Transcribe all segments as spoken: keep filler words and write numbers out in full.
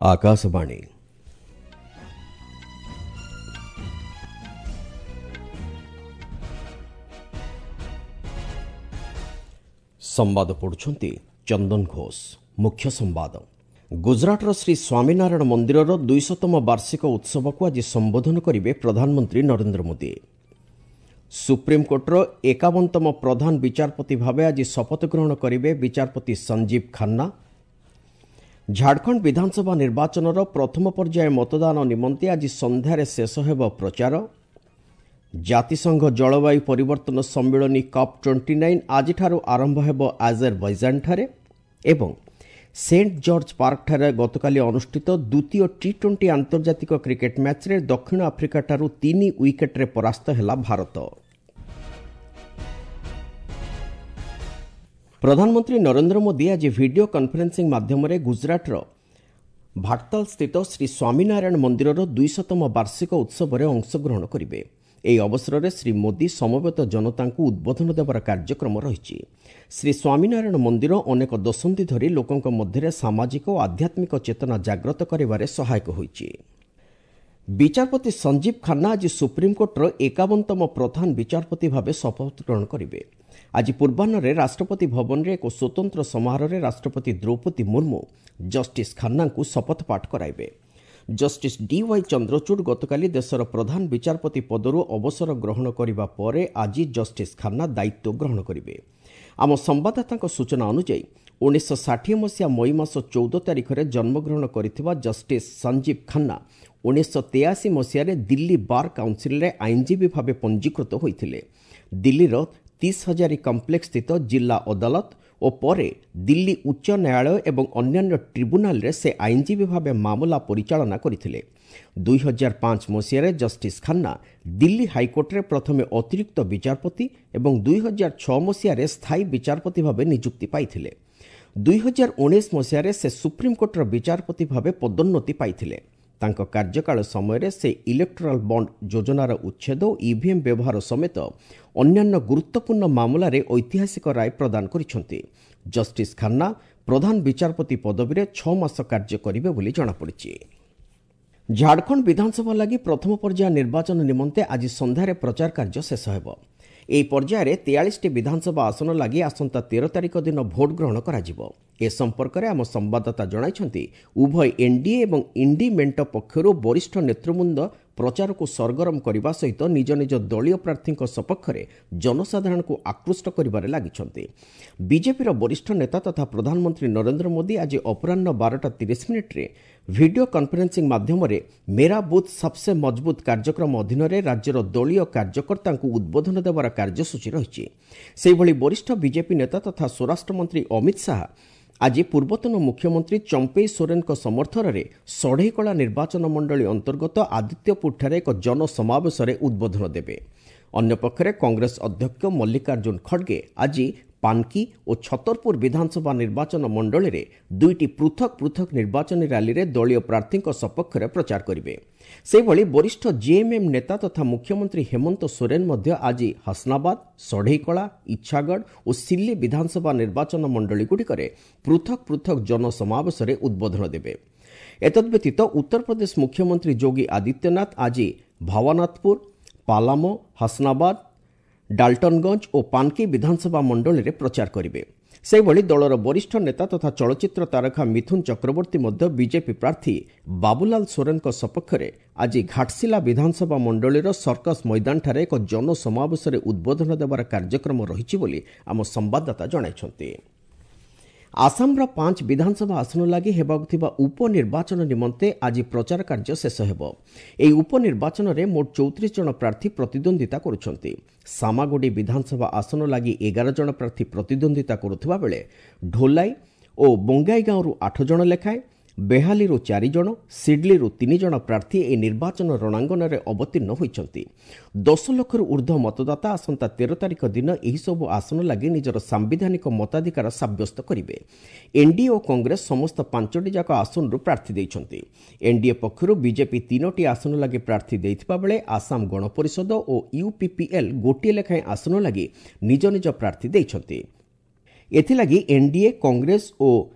ଆକାଶବାଣୀ। ସମ୍ବାଦ ପଢୁଛନ୍ତି ଚନ୍ଦନ ଘୋଷ। ମୁଖ୍ୟ ସମ୍ବାଦ। ଗୁଜରାଟର ଶ୍ରୀ ସ୍ୱାମୀନାରାୟଣ ମନ୍ଦିରର ଦୁଇଶତମ ବାର୍ଷିକ ଉତ୍ସବକୁ ଆଜି ସମ୍ବୋଧନ କରିବେ ପ୍ରଧାନମନ୍ତ୍ରୀ ନରେନ୍ଦ୍ର ମୋଦି। ସୁପ୍ରିମକୋର୍ଟର ଏକାବନତମ ପ୍ରଧାନ ବିଚାରପତି ଭାବେ ଆଜି ଶପଥ ଗ୍ରହଣ କରିବେ ବିଚାରପତି ସଞ୍ଜୀବ ଖାନ୍ନା। ଝାଡ଼ଖଣ୍ଡ ବିଧାନସଭା ନିର୍ବାଚନର ପ୍ରଥମ ପର୍ଯ୍ୟାୟ ମତଦାନ ନିମନ୍ତେ ଆଜି ସନ୍ଧ୍ୟାରେ ଶେଷ ହେବ ପ୍ରଚାର। ଜାତିସଂଘ ଜଳବାୟୁ ପରିବର୍ତ୍ତନ ସମ୍ମିଳନୀ କପ୍ ଟ୍ୱେଣ୍ଟି ନାଇନ୍ ଆଜିଠାରୁ ଆରମ୍ଭ ହେବ ଆଜେରବୈଜାନଠାରେ। ଏବଂ ସେଣ୍ଟ ଜର୍ଜ ପାର୍କଠାରେ ଗତକାଲି ଅନୁଷ୍ଠିତ ଦ୍ୱିତୀୟ ଟି ଟ୍ୱେଣ୍ଟି ଆନ୍ତର୍ଜାତିକ କ୍ରିକେଟ୍ ମ୍ୟାଚ୍ରେ ଦକ୍ଷିଣ ଆଫ୍ରିକାଠାରୁ ତିନି ୱିକେଟ୍ରେ ପରାସ୍ତ ହେଲା ଭାରତ। ପ୍ରଧାନମନ୍ତ୍ରୀ ନରେନ୍ଦ୍ର ମୋଦି ଆଜି ଭିଡିଓ କନଫରେନ୍ସିଂ ମାଧ୍ୟମରେ ଗୁଜରାଟର ଭାଟତାଲସ୍ଥିତ ଶ୍ରୀ ସ୍ୱାମୀନାରାୟଣ ମନ୍ଦିରର ଦୁଇଶତମ ବାର୍ଷିକ ଉତ୍ସବରେ ଅଂଶଗ୍ରହଣ କରିବେ। ଏହି ଅବସରରେ ଶ୍ରୀ ମୋଦି ସମବେତ ଜନତାଙ୍କୁ ଉଦ୍ବୋଧନ ଦେବାର କାର୍ଯ୍ୟକ୍ରମ ରହିଛି। ଶ୍ରୀ ସ୍ୱାମୀନାରାୟଣ ମନ୍ଦିର ଅନେକ ଦଶନ୍ଧି ଧରି ଲୋକଙ୍କ ମଧ୍ୟରେ ସାମାଜିକ ଓ ଆଧ୍ୟାତ୍ମିକ ଚେତନା ଜାଗ୍ରତ କରିବାରେ ସହାୟକ ହୋଇଛି। ବିଚାରପତି ସଞ୍ଜୀବ ଖାନ୍ନା ଆଜି ସୁପ୍ରିମକୋର୍ଟର ଏକାବନତମ ପ୍ରଧାନ ବିଚାରପତି ଭାବେ ଶପଥ ଗ୍ରହଣ କରିବେ। ଆଜି ପୂର୍ବାହ୍ନରେ ରାଷ୍ଟ୍ରପତି ଭବନରେ ଏକ ସ୍ୱତନ୍ତ୍ର ସମାରୋହରେ ରାଷ୍ଟ୍ରପତି ଦ୍ରୌପଦୀ ମୁର୍ମୁ ଜଷ୍ଟିସ୍ ଖାନ୍ନାଙ୍କୁ ଶପଥ ପାଠ କରାଇବେ। ଜଷ୍ଟିସ୍ ଡି ୱାଇ ଚନ୍ଦ୍ରଚୂଡ଼ ଗତକାଲି ଦେଶର ପ୍ରଧାନ ବିଚାରପତି ପଦରୁ ଅବସର ଗ୍ରହଣ କରିବା ପରେ ଆଜି ଜଷ୍ଟିସ୍ ଖାନ୍ନା ଦାୟିତ୍ୱ ଗ୍ରହଣ କରିବେ। ଆମ ସମ୍ବାଦଦାତାଙ୍କ ସୂଚନା ଅନୁଯାୟୀ ଉଣେଇଶହ ଷାଠିଏ ମସିହା ମଇ ମାସ ଚଉଦ ତାରିଖରେ ଜନ୍ମଗ୍ରହଣ କରିଥିବା ଜଷ୍ଟିସ୍ ସଞ୍ଜୀବ ଖାନ୍ନା ଉଣେଇଶହ ତେୟାଅଶୀ ମସିହାରେ ଦିଲ୍ଲୀ ବାର୍ କାଉନସିଲରେ ଆଇନଜୀବୀ ଭାବେ ପଞ୍ଜୀକୃତ ହୋଇଥିଲେ। ଦିଲ୍ଲୀର ତିସ୍ ହଜାରୀ କମ୍ପ୍ଲେକ୍ସ ସ୍ଥିତ ଜିଲ୍ଲା ଅଦାଲତ ଓ ପରେ ଦିଲ୍ଲୀ ଉଚ୍ଚ ନ୍ୟାୟାଳୟ ଏବଂ ଅନ୍ୟାନ୍ୟ ଟ୍ରିବ୍ୟୁନାଲରେ ସେ ଆଇନଜୀବୀ ଭାବେ ମାମଲା ପରିଚାଳନା କରିଥିଲେ। ଦୁଇ ହଜାର ପାଞ୍ଚ ମସିହାରେ ଜଷ୍ଟିସ୍ ଖାନ୍ନା ଦିଲ୍ଲୀ ହାଇକୋର୍ଟରେ ପ୍ରଥମେ ଅତିରିକ୍ତ ବିଚାରପତି ଏବଂ ଦୁଇ ହଜାର ଛଅ ମସିହାରେ ସ୍ଥାୟୀ ବିଚାରପତି ଭାବେ ନିଯୁକ୍ତି ପାଇଥିଲେ। ଦୁଇ ହଜାର ଉଣେଇଶ ମସିହାରେ ସେ ସୁପ୍ରିମକୋର୍ଟର ବିଚାରପତି ଭାବେ ପଦୋନ୍ନତି ପାଇଥିଲେ। ତାଙ୍କ କାର୍ଯ୍ୟକାଳ ସମୟରେ ସେ ଇଲେକ୍ଟ୍ରାଲ ବଣ୍ଡ ଯୋଜନାର ଉଚ୍ଛେଦ ଓ ଇଭିଏମ୍ ବ୍ୟବହାର ସମେତ ଅନ୍ୟାନ୍ୟ ଗୁରୁତ୍ୱପୂର୍ଣ୍ଣ ମାମଲାରେ ଐତିହାସିକ ରାୟ ପ୍ରଦାନ କରିଛନ୍ତି। ଜଷ୍ଟିସ୍ ଖାନ୍ନା ପ୍ରଧାନ ବିଚାରପତି ପଦବୀରେ ଛଅ ମାସ କାର୍ଯ୍ୟ କରିବେ ବୋଲି ଜଣାପଡ଼ିଛି। ଝାଡ଼ଖଣ୍ଡ ବିଧାନସଭା ଲାଗି ପ୍ରଥମ ପର୍ଯ୍ୟାୟ ନିର୍ବାଚନ ନିମନ୍ତେ ଆଜି ସନ୍ଧ୍ୟାରେ ପ୍ରଚାର କାର୍ଯ୍ୟ ଶେଷ ହେବ। ଏହି ପର୍ଯ୍ୟାୟରେ ତେୟାଳିଶଟି ବିଧାନସଭା ଆସନ ଲାଗି ଆସନ୍ତା ତେର ତାରିଖ ଦିନ ଭୋଟ ଗ୍ରହଣ କରାଯିବ। ଏ ସମ୍ପର୍କରେ ଆମ ସମ୍ବାଦଦାତା ଜଣାଇଛନ୍ତି, ଉଭୟ ଏନ୍ଡିଏ ଏବଂ ଇଣ୍ଡି ମେଣ୍ଟ ପକ୍ଷରୁ ବରିଷ୍ଠ ନେତୃବୃନ୍ଦ ପ୍ରଚାରକୁ ସରଗରମ କରିବା ସହିତ ନିଜ ନିଜ ଦଳୀୟ ପ୍ରାର୍ଥୀଙ୍କ ସପକ୍ଷରେ ଜନସାଧାରଣଙ୍କୁ ଆକୃଷ୍ଟ କରିବାରେ ଲାଗିଛନ୍ତି। ବିଜେପିର ବରିଷ୍ଠ ନେତା ତଥା ପ୍ରଧାନମନ୍ତ୍ରୀ ନରେନ୍ଦ୍ର ମୋଦି ଆଜି ଅପରାହ୍ନ ବାରଟା ତିରିଶ ମିନିଟ୍ରେ ଭିଡିଓ କନଫରେନ୍ସିଂ ମାଧ୍ୟମରେ ମେରା ବୁଥ୍ ସବସେ ମଜବୁତ କାର୍ଯ୍ୟକ୍ରମ ଅଧୀନରେ ରାଜ୍ୟର ଦଳୀୟ କାର୍ଯ୍ୟକର୍ତ୍ତାଙ୍କୁ ଉଦ୍ବୋଧନ ଦେବାର କାର୍ଯ୍ୟସୂଚୀ ରହିଛି। ସେହିଭଳି ବରିଷ୍ଠ ବିଜେପି ନେତା ତଥା ସ୍ୱରାଷ୍ଟ୍ରମନ୍ତ୍ରୀ ଅମିତ ଶାହା ଆଜି ପୂର୍ବତନ ମୁଖ୍ୟମନ୍ତ୍ରୀ ଚମ୍ପେଇ ସୋରେନଙ୍କ ସମର୍ଥନରେ ଷଢ଼େଇକଳା ନିର୍ବାଚନ ମଣ୍ଡଳୀ ଅନ୍ତର୍ଗତ ଆଦିତ୍ୟପୁରଠାରେ ଏକ ଜନସମାବେଶରେ ଉଦ୍ବୋଧନ ଦେବେ। ଅନ୍ୟପକ୍ଷରେ କଂଗ୍ରେସ ଅଧ୍ୟକ୍ଷ ମଲ୍ଲିକାର୍ଜୁନ ଖଡ଼ଗେ ଆଜି ପାନକି ଓ ଛତରପୁର ବିଧାନସଭା ନିର୍ବାଚନ ମଣ୍ଡଳୀରେ ଦୁଇଟି ପୃଥକ ପୃଥକ ନିର୍ବାଚନୀ ର୍ୟାଲିରେ ଦଳୀୟ ପ୍ରାର୍ଥୀଙ୍କ ସପକ୍ଷରେ ପ୍ରଚାର କରିବେ। ସେହିଭଳି ବରିଷ୍ଠ ଜେଏମ୍ଏମ୍ ନେତା ତଥା ମୁଖ୍ୟମନ୍ତ୍ରୀ ହେମନ୍ତ ସୋରେନ ମଧ୍ୟ ଆଜି ହସନାବାଦ, ଷଢ଼େଇକଳା, ଇଚ୍ଛାଗଡ଼ ଓ ସିଲ୍ଲି ବିଧାନସଭା ନିର୍ବାଚନ ମଣ୍ଡଳୀଗୁଡ଼ିକରେ ପୃଥକ ପୃଥକ ଜନସମାବେଶରେ ଉଦ୍ବୋଧନ ଦେବେ। ଏତଦ୍ବ୍ୟତୀତ ଉତ୍ତରପ୍ରଦେଶ ମୁଖ୍ୟମନ୍ତ୍ରୀ ଯୋଗୀ ଆଦିତ୍ୟନାଥ ଆଜି ଭାୱାନାଥପୁର, ପାଲାମୋ, ହସନାବାଦ, ଡାଲ୍ଟନଗଞ୍ଜ ଓ ପାନକି ବିଧାନସଭା ମଣ୍ଡଳୀରେ ପ୍ରଚାର କରିବେ। ସେହିଭଳି ଦଳର ବରିଷ୍ଠ ନେତା ତଥା ଚଳଚ୍ଚିତ୍ର ତାରକା ମିଥୁନ ଚକ୍ରବର୍ତ୍ତୀ ମଧ୍ୟ ବିଜେପି ପ୍ରାର୍ଥୀ ବାବୁଲାଲ ସୋରେନଙ୍କ ସପକ୍ଷରେ ଆଜି ଘାଟସିଲା ବିଧାନସଭା ମଣ୍ଡଳୀର ସର୍କସ ମଇଦାନଠାରେ ଏକ ଜନସମାବେଶରେ ଉଦ୍ବୋଧନ ଦେବାର କାର୍ଯ୍ୟକ୍ରମ ରହିଛି ବୋଲି ଆମ ସମ୍ବାଦଦାତା ଜଣାଇଛନ୍ତି। ଆସାମର ପାଞ୍ଚ ବିଧାନସଭା ଆସନ ଲାଗି ହେବାକୁ ଥିବା ଉପନିର୍ବାଚନ ନିମନ୍ତେ ଆଜି ପ୍ରଚାର କାର୍ଯ୍ୟ ଶେଷ ହେବ। ଏହି ଉପନିର୍ବାଚନରେ ମୋଟ ଚଉତିରିଶ ଜଣ ପ୍ରାର୍ଥୀ ପ୍ରତିଦ୍ୱନ୍ଦିତା କରୁଛନ୍ତି। ସାମାଗୁଡ଼ି ବିଧାନସଭା ଆସନ ଲାଗି ଏଗାର ଜଣ ପ୍ରାର୍ଥୀ ପ୍ରତିଦ୍ୱନ୍ଦିତା କରୁଥିବା ବେଳେ ଢୋଲାଇ ଓ ବଙ୍ଗାଇଗାଁରୁ ଆଠ ଜଣ ଲେଖାଏଁ, ବେହାଲିରୁ ଚାରି ଜଣ, ସିଡ୍ଲିରୁ ତିନି ଜଣ ପ୍ରାର୍ଥୀ ଏହି ନିର୍ବାଚନ ରଣାଙ୍ଗନରେ ଅବତୀର୍ଣ୍ଣ ହୋଇଛନ୍ତି। ଦଶ ଲକ୍ଷରୁ ଉର୍ଦ୍ଧ୍ୱ ମତଦାତା ଆସନ୍ତା ତେର ତାରିଖ ଦିନ ଏହିସବୁ ଆସନ ଲାଗି ନିଜର ସାମ୍ବିଧାନିକ ମତାଧିକାର ସାବ୍ୟସ୍ତ କରିବେ। ଏନ୍ଡିଏ ଓ କଂଗ୍ରେସ ସମସ୍ତ ପାଞ୍ଚଟି ଯାକ ଆସନରୁ ପ୍ରାର୍ଥୀ ଦେଇଛନ୍ତି। ଏନ୍ଡିଏ ପକ୍ଷରୁ ବିଜେପି ତିନୋଟି ଆସନ ଲାଗି ପ୍ରାର୍ଥୀ ଦେଇଥିବା ବେଳେ ଆସାମ ଗଣପରିଷଦ ଓ ୟୁପିପିଏଲ୍ ଗୋଟିଏ ଲେଖାଏଁ ଆସନ ଲାଗି ନିଜ ନିଜ ପ୍ରାର୍ଥୀ ଦେଇଛନ୍ତି। ଏଥିଲାଗି ଏନ୍ଡିଏ, କଂଗ୍ରେସ ଓ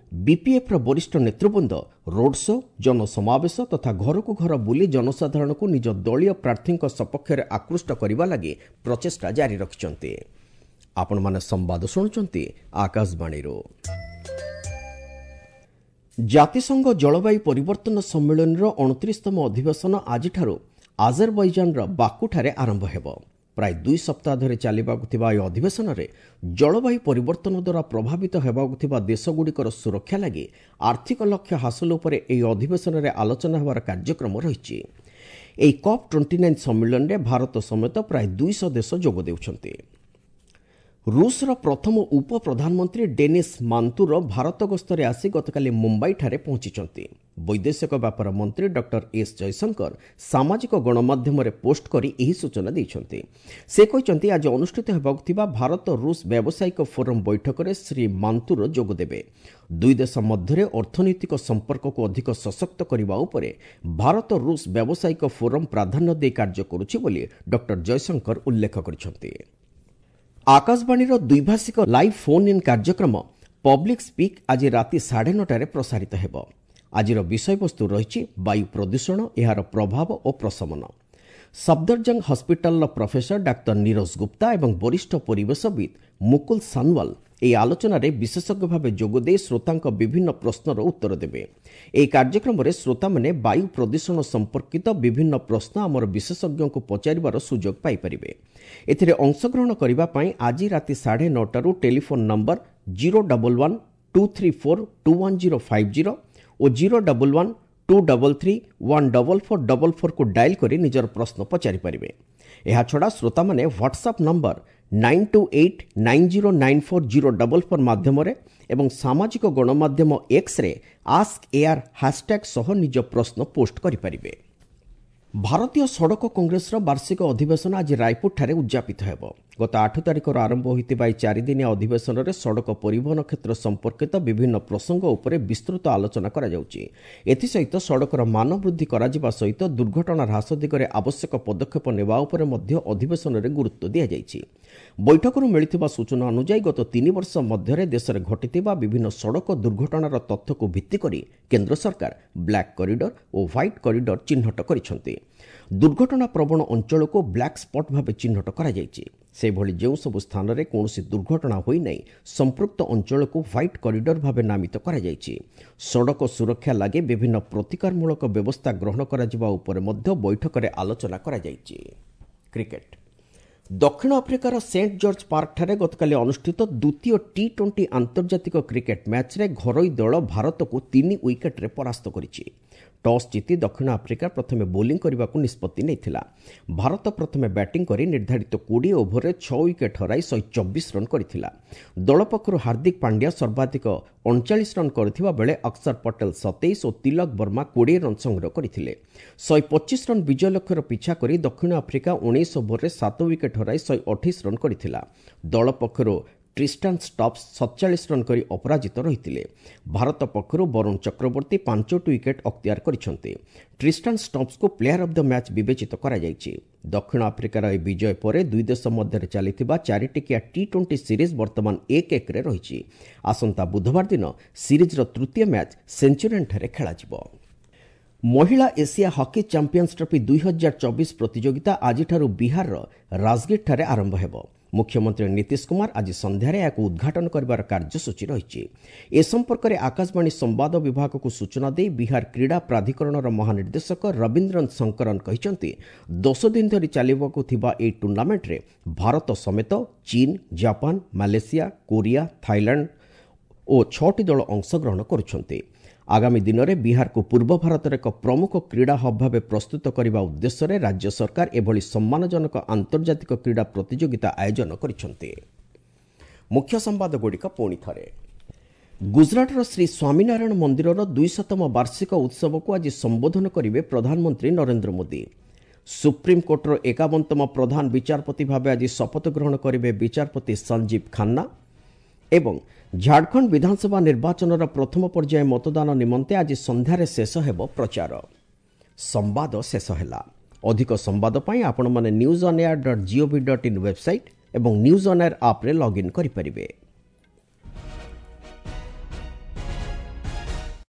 ବିପିଏଫ୍ର ବରିଷ୍ଠ ନେତୃବୃନ୍ଦ ରୋଡ୍ ଶୋ, ଜନସମାବେଶ ତଥା ଘରକୁ ଘର ବୁଲି ଜନସାଧାରଣଙ୍କୁ ନିଜ ଦଳୀୟ ପ୍ରାର୍ଥୀଙ୍କ ସପକ୍ଷରେ ଆକୃଷ୍ଟ କରିବା ଲାଗି ପ୍ରଚେଷ୍ଟା ଜାରି ରଖିଛନ୍ତି। ଆପଣମାନେ ସମ୍ବାଦ ଶୁଣୁଛନ୍ତି ଆକାଶବାଣୀରୁ। ଜାତିସଂଘ ଜଳବାୟୁ ପରିବର୍ତ୍ତନ ସମ୍ମିଳନୀର ଅଣତିରିଶତମ ଅଧିବେଶନ ଆଜିଠାରୁ ଆଜରବୈଜାନର ବାକୁଠାରେ ଆରମ୍ଭ ହେବ। ପ୍ରାୟ ଦୁଇ ସପ୍ତାହ ଧରି ଚାଲିବାକୁ ଥିବା ଏହି ଅଧିବେଶନରେ ଜଳବାୟୁ ପରିବର୍ତ୍ତନ ଦ୍ୱାରା ପ୍ରଭାବିତ ହେବାକୁ ଥିବା ଦେଶଗୁଡ଼ିକର ସୁରକ୍ଷା ଲାଗି ଆର୍ଥିକ ଲକ୍ଷ୍ୟ ହାସଲ ଉପରେ ଏହି ଅଧିବେଶନରେ ଆଲୋଚନା ହେବାର କାର୍ଯ୍ୟକ୍ରମ ରହିଛି। ଏହି କପ୍ ଟ୍ୱେଣ୍ଟି ନାଇନ୍ ସମ୍ମିଳନୀରେ ଭାରତ ସମେତ ପ୍ରାୟ ଦୁଇଶହ ଦେଶ ଯୋଗ ଦେଉଛନ୍ତି। ରୁଷର ପ୍ରଥମ ଉପପ୍ରଧାନମନ୍ତ୍ରୀ ଡେନିସ୍ ମାନ୍ତୁର ଭାରତ ଗସ୍ତରେ ଆସି ଗତକାଲି ମୁମ୍ବାଇଠାରେ ପହଞ୍ଚିଛନ୍ତି। ବୈଦେଶିକ ବ୍ୟାପାର ମନ୍ତ୍ରୀ ଡକ୍ଟର ଏସ୍ ଜୟଶଙ୍କର ସାମାଜିକ ଗଣମାଧ୍ୟମରେ ପୋଷ୍ଟ କରି ଏହି ସୂଚନା ଦେଇଛନ୍ତି। ସେ କହିଛନ୍ତି, ଆଜି ଅନୁଷ୍ଠିତ ହେବାକୁ ଥିବା ଭାରତ ରୁଷ ବ୍ୟାବସାୟିକ ଫୋରମ୍ ବୈଠକରେ ଶ୍ରୀ ମାନ୍ତୁର ଯୋଗଦେବେ। ଦୁଇ ଦେଶ ମଧ୍ୟରେ ଅର୍ଥନୈତିକ ସମ୍ପର୍କକୁ ଅଧିକ ସଶକ୍ତ କରିବା ଉପରେ ଭାରତ ରୁଷ ବ୍ୟାବସାୟିକ ଫୋରମ୍ ପ୍ରାଧାନ୍ୟ ଦେଇ କାର୍ଯ୍ୟ କରୁଛି ବୋଲି ଡକ୍ଟର ଜୟଶଙ୍କର ଉଲ୍ଲେଖ କରିଛନ୍ତି। ଆକାଶବାଣୀର ଦ୍ୱିଭାଷିକ ଲାଇଭ୍ ଫୋନ୍ ଇନ୍ କାର୍ଯ୍ୟକ୍ରମ ପବ୍ଲିକ୍ ସ୍ପିକ୍ ଆଜି ରାତି ସାଢ଼େ ନଅଟାରେ ପ୍ରସାରିତ ହେବ। ଆଜିର ବିଷୟବସ୍ତୁ ରହିଛି ବାୟୁ ପ୍ରଦୂଷଣ, ଏହାର ପ୍ରଭାବ ଓ ପ୍ରଶମନ। ସଫଦରଜଙ୍ଗ ହସ୍ପିଟାଲର ପ୍ରଫେସର ଡାକ୍ତର ନିରୋଜ ଗୁପ୍ତା ଏବଂ ବରିଷ୍ଠ ପରିବେଶବିତ୍ ମୁକୁଲ ସାନୱାଲ ଏହି ଆଲୋଚନାରେ ବିଶେଷଜ୍ଞ ଭାବେ ଯୋଗଦେଇ ଶ୍ରୋତାଙ୍କ ବିଭିନ୍ନ ପ୍ରଶ୍ନର ଉତ୍ତର ଦେବେ। ଏହି କାର୍ଯ୍ୟକ୍ରମରେ ଶ୍ରୋତାମାନେ ବାୟୁ ପ୍ରଦୂଷଣ ସମ୍ପର୍କିତ ବିଭିନ୍ନ ପ୍ରଶ୍ନ ଆମର ବିଶେଷଜ୍ଞଙ୍କୁ ପଚାରିବାର ସୁଯୋଗ ପାଇପାରିବେ। ଏଥିରେ ଅଂଶଗ୍ରହଣ କରିବା ପାଇଁ ଆଜି ରାତି ସାଢ଼େ ନଅଟାରୁ telephone number zero double one two three four two one zero five zero ଓ zero double one two double three one double four double ଫୋର୍କୁ dial କରି ନିଜର ପ୍ରଶ୍ନ ପଚାରିପାରିବେ। ଏହାଛଡ଼ା ଶ୍ରୋତାମାନେ WhatsApp number nine two eight nine zero nine four zero double four ମାଧ୍ୟମରେ ଏବଂ ସାମାଜିକ ଗଣମାଧ୍ୟମ x-ray ask air hashtag ସହ ନିଜ ପ୍ରଶ୍ନ ପୋଷ୍ଟ କରିପାରିବେ। ଭାରତୀୟ ସଡ଼କ କଂଗ୍ରେସର ବାର୍ଷିକ ଅଧିବେଶନ ଆଜି ରାୟପୁରଠାରେ ଉଦ୍ଯାପିତ ହେବ। ଗତ ଆଠ ତାରିଖରୁ ଆରମ୍ଭ ହୋଇଥିବା ଏହି ଚାରିଦିନିଆ ଅଧିବେଶନରେ ସଡ଼କ ପରିବହନ କ୍ଷେତ୍ର ସମ୍ପର୍କିତ ବିଭିନ୍ନ ପ୍ରସଙ୍ଗ ଉପରେ ବିସ୍ତୃତ ଆଲୋଚନା କରାଯାଉଛି। ଏଥିସହିତ ସଡ଼କର ମାନ ବୃଦ୍ଧି କରାଯିବା ସହିତ ଦୁର୍ଘଟଣା ହ୍ରାସ ଦିଗରେ ଆବଶ୍ୟକ ପଦକ୍ଷେପ ନେବା ଉପରେ ମଧ୍ୟ ଅଧିବେଶନରେ ଗୁରୁତ୍ୱ ଦିଆଯାଇଛି। ବୈଠକରୁ ମିଳିଥିବା ସୂଚନା ଅନୁଯାୟୀ ଗତ ତିନି ବର୍ଷ ମଧ୍ୟରେ ଦେଶରେ ଘଟିଥିବା ବିଭିନ୍ନ ସଡ଼କ ଦୁର୍ଘଟଣାର ତଥ୍ୟକୁ ଭିତ୍ତି କରି କେନ୍ଦ୍ର ସରକାର ବ୍ଲାକ୍ କରିଡର ଓ ହ୍ୱାଇଟ୍ କରିଡର ଚିହ୍ନଟ କରିଛନ୍ତି। ଦୁର୍ଘଟଣା ପ୍ରବଣ ଅଞ୍ଚଳକୁ ବ୍ଲାକ୍ ସ୍ପଟ୍ ଭାବେ ଚିହ୍ନଟ କରାଯାଇଛି। ସେହିଭଳି ଯେଉଁସବୁ ସ୍ଥାନରେ କୌଣସି ଦୁର୍ଘଟଣା ହୋଇନାହିଁ ସମ୍ପୃକ୍ତ ଅଞ୍ଚଳକୁ ହ୍ୱାଇଟ୍ କରିଡର ଭାବେ ନାମିତ କରାଯାଇଛି। ସଡ଼କ ସୁରକ୍ଷା ଲାଗି ବିଭିନ୍ନ ପ୍ରତିକାରମୂଳକ ବ୍ୟବସ୍ଥା ଗ୍ରହଣ କରାଯିବା ଉପରେ ମଧ୍ୟ ବୈଠକରେ ଆଲୋଚନା କରାଯାଇଛି। କ୍ରିକେଟ୍। ଦକ୍ଷିଣ ଆଫ୍ରିକାର ସେଣ୍ଟ ଜର୍ଜ ପାର୍କଠାରେ ଗତକାଲି ଅନୁଷ୍ଠିତ ଦ୍ୱିତୀୟ ଟି ଟ୍ୱେଣ୍ଟି ଆନ୍ତର୍ଜାତିକ କ୍ରିକେଟ୍ ମ୍ୟାଚ୍ରେ ଘରୋଇ ଦଳ ଭାରତକୁ ତିନି ୱିକେଟ୍ରେ ପରାସ୍ତ କରିଛି। ଟସ୍ ଜିତି ଦକ୍ଷିଣ ଆଫ୍ରିକା ପ୍ରଥମେ ବୋଲିଂ କରିବାକୁ ନିଷ୍ପତ୍ତି ନେଇଥିଲା। ଭାରତ ପ୍ରଥମେ ବ୍ୟାଟିଂ କରି ନିର୍ଦ୍ଧାରିତ କୋଡ଼ିଏ ଓଭରରେ ଛଅ ୱିକେଟ୍ ହରାଇ ଶହେ ଚବିଶ ରନ୍ କରିଥିଲା। ଦଳ ପକ୍ଷରୁ ହାର୍ଦ୍ଦିକ ପାଣ୍ଡ୍ୟା ସର୍ବାଧିକ ଅଣଚାଳିଶ ରନ୍ କରିଥିବା ବେଳେ ଅକ୍ଷର ପଟେଲ ସତେଇଶ ଓ ତିଲକ ବର୍ମା କୋଡ଼ିଏ ରନ୍ ସଂଗ୍ରହ କରିଥିଲେ। ଶହେ ପଚିଶ ରନ୍ ବିଜୟ ଲକ୍ଷ୍ୟର ପିଛା କରି ଦକ୍ଷିଣ ଆଫ୍ରିକା ଉଣେଇଶ ଓଭରରେ ସାତ ୱିକେଟ୍ ହରାଇ ଶହେ ଅଠେଇଶ ରନ୍ କରିଥିଲା। ଦଳ ପକ୍ଷରୁ ଟ୍ରିଷ୍ଟାନ୍ ଷ୍ଟବ୍ସ ସତଚାଳିଶ ରନ୍ କରି ଅପରାଜିତ ରହିଥିଲେ। ଭାରତ ପକ୍ଷରୁ ବରୁଣ ଚକ୍ରବର୍ତ୍ତୀ ପାଞ୍ଚଟି ୱିକେଟ୍ ଅକ୍ତିଆର କରିଛନ୍ତି। ଟ୍ରିଷ୍ଟାନ୍ ଷ୍ଟବ୍ସଙ୍କୁ ପ୍ଲେୟାର ଅଫ୍ the match ବିବେଚିତ କରାଯାଇଛି। ଦକ୍ଷିଣ ଆଫ୍ରିକାର ଏହି ବିଜୟ ପରେ ଦୁଇ ଦେଶ ମଧ୍ୟରେ ଚାଲିଥିବା ଚାରିଟିକିଆ ଟି ଟ୍ୱେଣ୍ଟି ସିରିଜ୍ ବର୍ତ୍ତମାନ ଏକ ଏକରେ ରହିଛି। ଆସନ୍ତା ବୁଧବାର ଦିନ ସିରିଜ୍ର ତୃତୀୟ ମ୍ୟାଚ୍ ସେଞ୍ଚୁରିଆନ୍ଠାରେ ଖେଳାଯିବ। ମହିଳା ଏସିଆ ହକି ଚାମ୍ପିୟନ୍ସ ଟ୍ରଫି ଦୁଇ ହଜାର ଚବିଶ ପ୍ରତିଯୋଗିତା ଆଜିଠାରୁ ବିହାରର ରାଜଗିରଠାରେ ଆରମ୍ଭ ହେବ। ମୁଖ୍ୟମନ୍ତ୍ରୀ ନୀତିଶ କୁମାର ଆଜି ସନ୍ଧ୍ୟାରେ ଏହାକୁ ଉଦ୍ଘାଟନ କରିବାର କାର୍ଯ୍ୟସୂଚୀ ରହିଛି। ଏ ସମ୍ପର୍କରେ ଆକାଶବାଣୀ ସମ୍ବାଦ ବିଭାଗକୁ ସୂଚନା ଦେଇ ବିହାର କ୍ରୀଡ଼ା ପ୍ରାଧିକରଣର ମହାନିର୍ଦ୍ଦେଶକ ରବୀନ୍ଦ୍ରନ ଶଙ୍କରନ କହିଛନ୍ତି, ଦଶ ଦିନ ଧରି ଚାଲିବାକୁ ଥିବା ଏହି ଟୁର୍ଣ୍ଣାମେଣ୍ଟରେ ଭାରତ ସମେତ ଚୀନ, ଜାପାନ, ମାଲେସିଆ, କୋରିଆ, ଥାଇଲାଣ୍ଡ ଓ ଛଅଟି ଦଳ ଅଂଶଗ୍ରହଣ କରୁଛନ୍ତି। ଆଗାମୀ ଦିନରେ ବିହାରକୁ ପୂର୍ବ ଭାରତର ଏକ ପ୍ରମୁଖ କ୍ରୀଡ଼ା ହବ୍ ଭାବେ ପ୍ରସ୍ତୁତ କରିବା ଉଦ୍ଦେଶ୍ୟରେ ରାଜ୍ୟ ସରକାର ଏଭଳି ସମ୍ମାନଜନକ ଆନ୍ତର୍ଜାତିକ କ୍ରୀଡ଼ା ପ୍ରତିଯୋଗିତା ଆୟୋଜନ କରିଛନ୍ତି। ମୁଖ୍ୟ ସମ୍ବାଦଗୁଡ଼ିକ ପୁଣି ଥରେ। ଗୁଜରାଟର ଶ୍ରୀ ସ୍ୱାମୀନାରାୟଣ ମନ୍ଦିରର ଦୁଇଶତମ ବାର୍ଷିକ ଉତ୍ସବକୁ ଆଜି ସମ୍ବୋଧନ କରିବେ ପ୍ରଧାନମନ୍ତ୍ରୀ ନରେନ୍ଦ୍ର ମୋଦି। ସୁପ୍ରିମକୋର୍ଟର ଏକାବନତମ ପ୍ରଧାନ ବିଚାରପତି ଭାବେ ଆଜି ଶପଥ ଗ୍ରହଣ କରିବେ ବିଚାରପତି ସଞ୍ଜୀବ ଖାନ୍ନା। ଏବଂ ଝାଡ଼ଖଣ୍ଡ ବିଧାନସଭା ନିର୍ବାଚନର ପ୍ରଥମ ପର୍ଯ୍ୟାୟ ମତଦାନ ନିମନ୍ତେ ଆଜି ସନ୍ଧ୍ୟାରେ ଶେଷ ହେବ ପ୍ରଚାର। ସମ୍ବାଦ ଶେଷ ହେଲା। ଅଧିକ ସମ୍ବାଦ ପାଇଁ ଆପଣମାନେ news on air dot gov dot in website ଏବଂ ନ୍ୟୁଜ୍ ଅନ୍ ଏୟାର ଆପ୍ରେ ଲଗ୍ଇନ୍ କରିପାରିବେ।